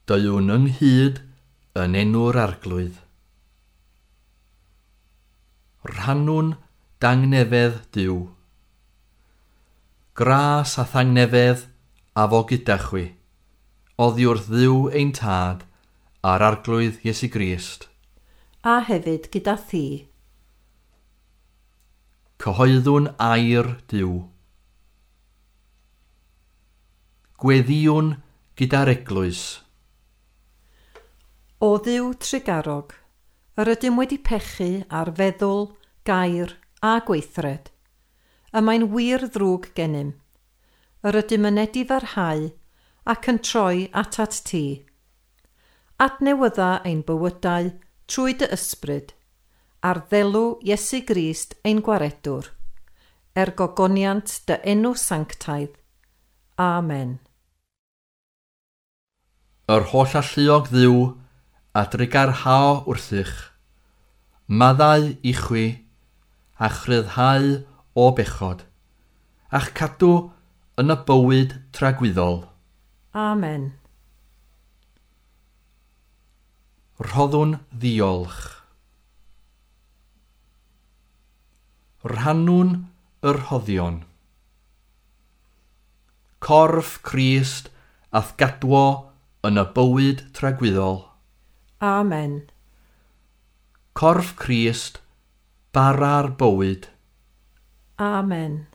Deuwn ynghyd yn enw'r Arglwydd. Rhannwn dangnefedd Duw. Gras a thangnefedd a fo gyda chwi, oddi wrth Dduw ein Tad a'r Arglwydd Iesu Grist. A hefyd gyda thi. Cyhoeddwn air Duw. Gweddïwn gyda'r eglwys. O Dduw trugarog, yr ydym wedi pechu ar feddwl, gair a gweithred. Y mae'n wir ddrwg gennym. Yr ydym yn edifarhau ac yn troi atat ti. Adnewydda ein bywydau trwy dy ysbryd, ar ddelw Iesu Grist ein gwaredwr, er gogoniant dy enw sanctaidd. Amen. Yr holl alluog Dduw a drugarhao wrthych, maddau i chwi a chryfhau o bechod, a'ch cadw yn y bywyd tragwyddol. Amen. Rhoddwn ddiolch. Rhannwn y rhoddion. Corff Crist a'th gadwo yn y bywyd tragwyddol. Amen. Corff Crist, bara'r bywyd. Amen.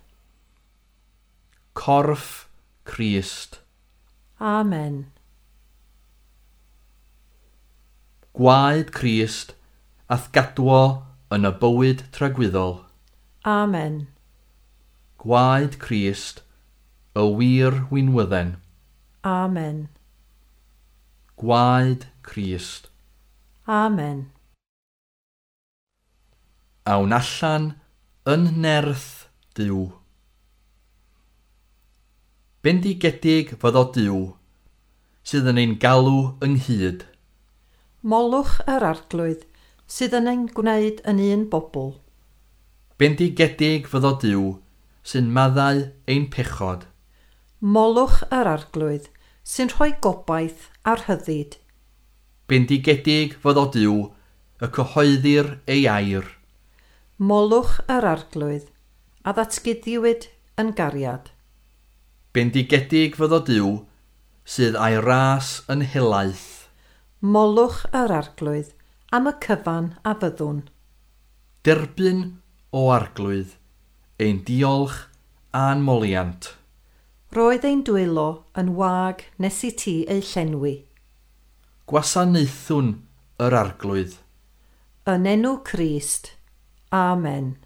Corff Crist. Amen. Gwaed Crist a'th gadwo yn y bywyd tragwyddol. Amen. Gwaed Crist, y wir winwydden. Amen. Gwaed Crist. Amen. Awn allan yn nerth Duw. Bendigedig fyddo Duw, sydd yn ein galw ynghyd. Molwch yr Arglwydd sydd yn ein gwneud yn un bobl. Bendigedig fyddo Duw, sy'n maddau ein pechod. Molwch yr Arglwydd sy'n rhoi gobaith a rhyddid. Bendigedig fyddo Duw, y cyhoeddir ei air. Molwch yr Arglwydd a ddatguddiwyd yn gariad. Bendigedig fyddo Duw, sydd a'i ras yn helaeth. Molwch yr Arglwydd am y cyfan a fyddwn. Derbyn o Arglwydd, ein diolch a'n moliant. Roedd ein dwylo yn wag nes i ti eu llenwi. Gwasanaethwn yr Arglwydd. Yn enw Crist. Amen.